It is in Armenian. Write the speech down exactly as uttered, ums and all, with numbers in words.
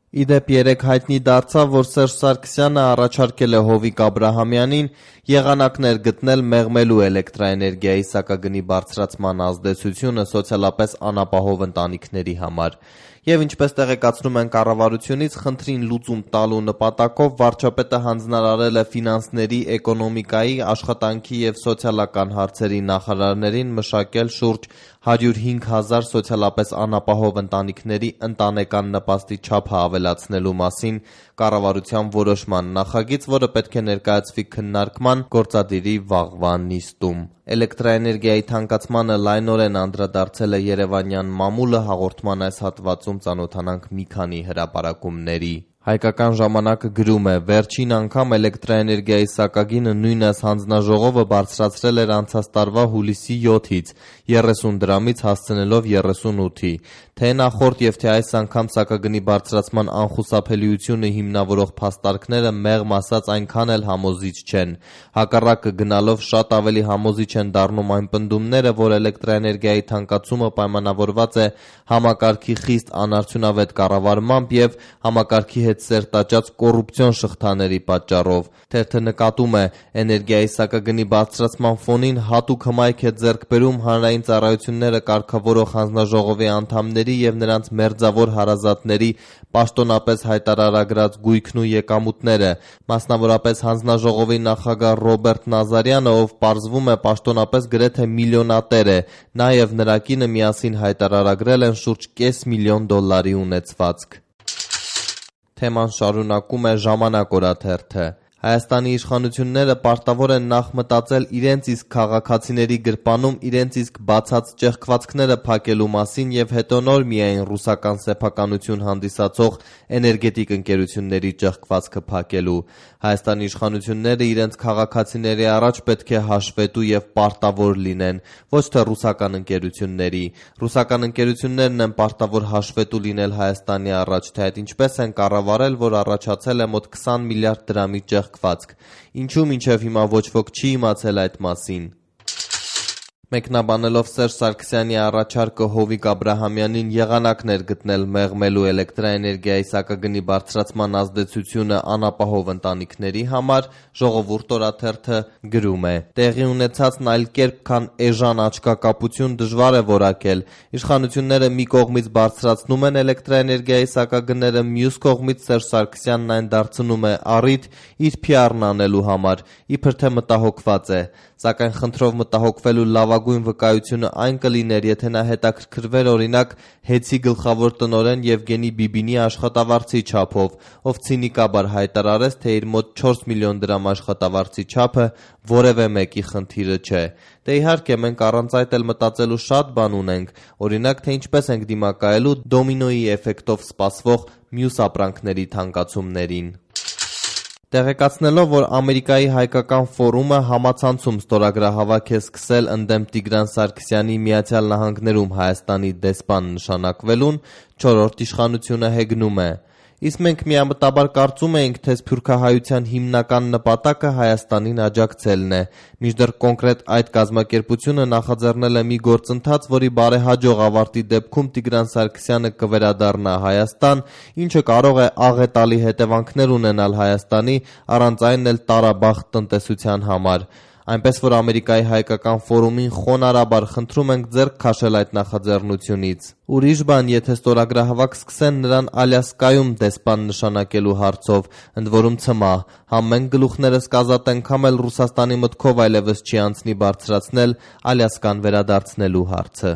Ի դեպ երեկ հայտնի դարձավ, որ Սերժ Սարգսյանը առաջարկել է Հովիկ Աբրահամյանին եղանակներ գտնել մեղմելու էլեկտրաէներգիայի սակագնի բարձրացման ազդեցությունը սոցիալապես անապահով ընտանիքների համար։ Եվ ինչպես տեղեկացնում են կառավարությունից, խնդրին լուծում տալու նպատակով վարչապետը հանձնարարել է ֆինանսների, էկոնոմիկայի, աշխատանքի և սոցիալական հարցերի նախարարներին մշակել շուրջ հարյուր հինգ հազար սոցիալապես անապահով ընտանիքների ընտանեկան նպաստի չափը ավելացնելու մասին կառավարության որոշման նախագիծ, որը պետք է ներկայացվի քննարկման գործադիրի վաղվա նիստում։ Էլեկտրաէներգիայի թանկացմանը լայնորեն անդրադարձել է երևանյան մամուլը, հաղորդման այս հատվածում ծանոթանանք մի քանի հրապարակումների։ Հայկական ժամանակը գրում է. «Վերջին անգամ էլեկտրաէներգիայի սակագինը նույն այս հանձնաժողովը բարձրացրել էր անցած տարվա հուլիսի յոթից երեսուն դրամից հասցնելով երեսունութի։ Թե նախորդ և թե այս անգամ սակագնի բարձրացման անխուսափելիությունը հիմնավորող փաստարկները մեղմ ասած այնքան էլ համոզիչ չեն։ Հակառակը գնալով շատ ավելի համոզիչ են դառնում այն պնդումները, որ էլեկտրաէներգիայի թանկացումը պայմանավորված է համակարգի խիստ անարդյունավետ կառավարմամբ և համակարգի հետ սերտաճած կոռուպցիոն շղթաների պատճառով։ Թերթը նկատում է. էներգիայի սակագնի բարձրացման ֆոնին հատուկ հմայք է ձեռք բերում հանրային ծառայությունները կարգավորող հանձնաժողովի անդամների և նրանց մերձավոր հարազատների պաշտոնապես հայտարարագրած գույքն ու եկամուտները, մասնավորապես հանձնաժողովի նախագահ Ռոբերտ Նազարյանը, ով պարզվում է պաշտոնապես գրեթե միլիոնատեր է, նա և նրա կինը միասին հայտարարագրել են շուրջ կես միլիոն դոլարի ունեցվածք»։ Թեման շարունակում է «Ժամանակ» օրաթերթը։ Հայաստանի իշխանությունները պարտավոր են նախ մտածել իրենց իսկ քաղաքացիների գրպանում իրենց իսկ բացած ճեղքվածքները փակելու մասին և հետո նոր միայն ռուսական սեփականություն հանդիսացող էներգետիկ ընկերությունների ճեղքվածքը փակելու։ Հայաստանի իշխանությունները իրենց քաղաքացիների առաջ պետք է հաշվետու և պարտավոր լինեն, ոչ թե ռուսական ընկերությունների։ Ռուսական ընկերություններն են պարտավոր հաշվետու լինել Հայաստանի առաջ, թե այդ ինչպես են կառավարել, որ առաջացել է մոտ քսան միլիարդ դրամի ճեղքվածք։ Ինչու մինչև հիմա ոչ ոք չի իմացել այդ մասին։ Մեկնաբանելով Սերժ Սարգսյանի առաջարկը Հովիկ Աբրահամյանին եղանակներ գտնել մեղմելու էլեկտրաէներգիայի սակագնի բարձրացման ազդեցությունը անապահով ընտանիքների համար, Ժողովուրդ օրաթերթը գրում է. «Տեղի ունեցածն այլ կերպ, քան էժան աչքակապություն դժվար է որակել։ Իշխանությունները մի կողմից բարձրացնում են էլեկտրաէներգիայի սակագները, մյուս կողմից Սերժ Սարգսյանն այն դարձնում է առիթ իր փի ար-ն անելու համար, իբր թե մտահոգված է։ Սակայն խնդրով մտահոգվելու լավագույն վկայությունը այն կլիներ, եթե նա հետաքրքրվեր օրինակ ՀԵՑ-ի գլխավոր տնօրեն Եվգենի Բիբինի աշխատավարձի չափով, ով ցինիկաբար հայտարարեց, թե իր մոտ չորս միլիոն դրամ աշխատավարձի չափը որևէ մեկի խնդիրը չէ։ Դե իհարկե մենք առանց այդ էլ մտածելու շատ բան ունենք, օրինակ թե ինչպես ենք դիմակայելու դոմինոյի էֆեկտով սպասվող մյուս ապրանքների թանկացումներին»։ Տեղեկացնելով, որ Ամերիկայի հայկական ֆորումը համացանցում ստորագրահավաք է սկսել ընդդեմ Տիգրան Սարգսյանի Միացյալ Նահանգներում Հայաստանի դեսպան նշանակվելուն, չորրորդ իշխանությունը հեգնում է. «Իսկ մենք միամտաբար կարծում էինք, թե սփյուռքահայության հիմնական նպատակը Հայաստանին աջակցելն է, մինչդեռ կոնկրետ այդ կազմակերպությունը նախաձեռնել է մի գործընթաց, որի բարեհաջող ավարտի դեպքում Տիգրան Սարգսյանը կվերադառնա Հայաստան, ինչը կարող է աղետալի հետևանքներ ունենալ Հայաստանի, առանց այն էլ տարաբախտ տնտեսության համար։ Այնպես որ Ամերիկայի հայկական ֆորումին խոնարհաբար խնդրում ենք ձեռք քաշել այդ նախաձեռնությունից։ Ուրիշ բան, եթե ստորագրահավաք սկսեն նրան Ալյասկայում դեսպան նշանակելու հարցով, ընդ որում ցմահ, համ մենք գլուխներս կազատենք, համ էլ Ռուսաստանի մտքով այլևս չի անցնի բարձրացնել Ալյասկան վերադարձնելու հարցը»։